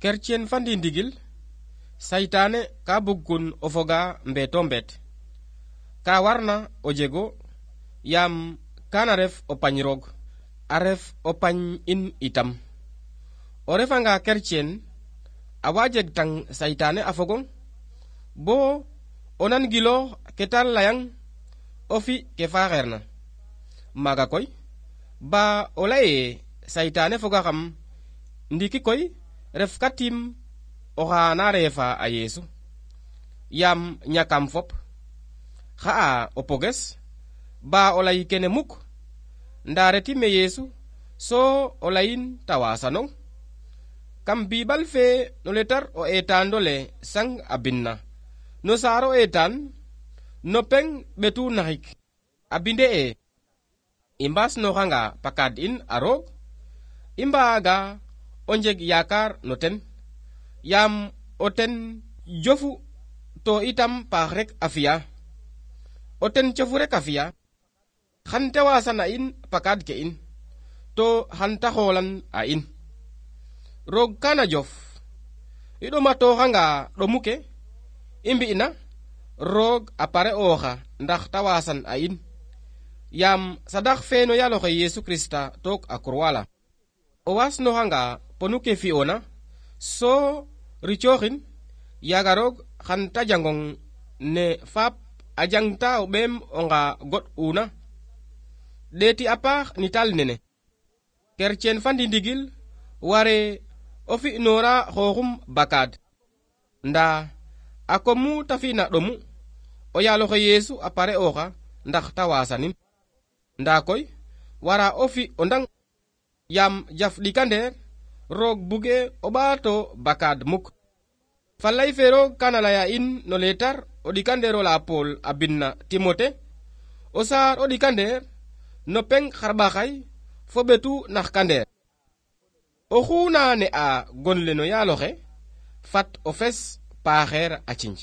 Kercien fandi ndigil saytane ka bugun o foga mbeto mbet ka warna o jego yam kana ref o pañ roog a ref o pañ in itam o refanga kercien a wajeg tang saytane a fogong bo o nan gilo ketal layang o fi ke faxeerna maga koy ba o leye saytane foga xam ndiki koy ref katim oxa na refa a Yesu yam ñakam fop xa'a o poges ba o lay kene muk nda retime Yesu so o layin ta wasanong kam bibal fe no letar o etandole sang a binna no saaro etan no peng betu naxik a binde e i mbasnoxanga pakad in a roog i mbaga o njeg yakar no ten yam o ten jofu to itam paax rek a fiya o ten cofu rek a fiya xan te wasana in pakad ke in to xan ta xolan a in roog kana jof i ɗomatoxanga ɗomu ke i mbi'na roog a pare oxa ndax ta wasan a in yam sadax fe no yaloxe Yesu Krista took a croix la o wasnoxanga ponu ke fi'ona so ricoxin yaga roog xan ta jangong ne faap a jangta o ɓeem onga goɗ una ɗeti a paax ni tal nene kercien fandi ndigil ware o fi'nora xooxum bakad nda a komu ta fi'na ɗomu o yaloxe Yesu a pare oxa ndax ta wasanin nda koy wara o fi o ndang yam jaf ɗikandeer roog buge o ɓaato bakad muk falay fe roog kana laya in no letar o ɗikandeero la Paul a binna Timote o saar o ɗikandeer no peng xarɓaxay fo ɓetu nax kandeer oxu na ne'a gonle no yaloxe fat o fes paaxeer a cinj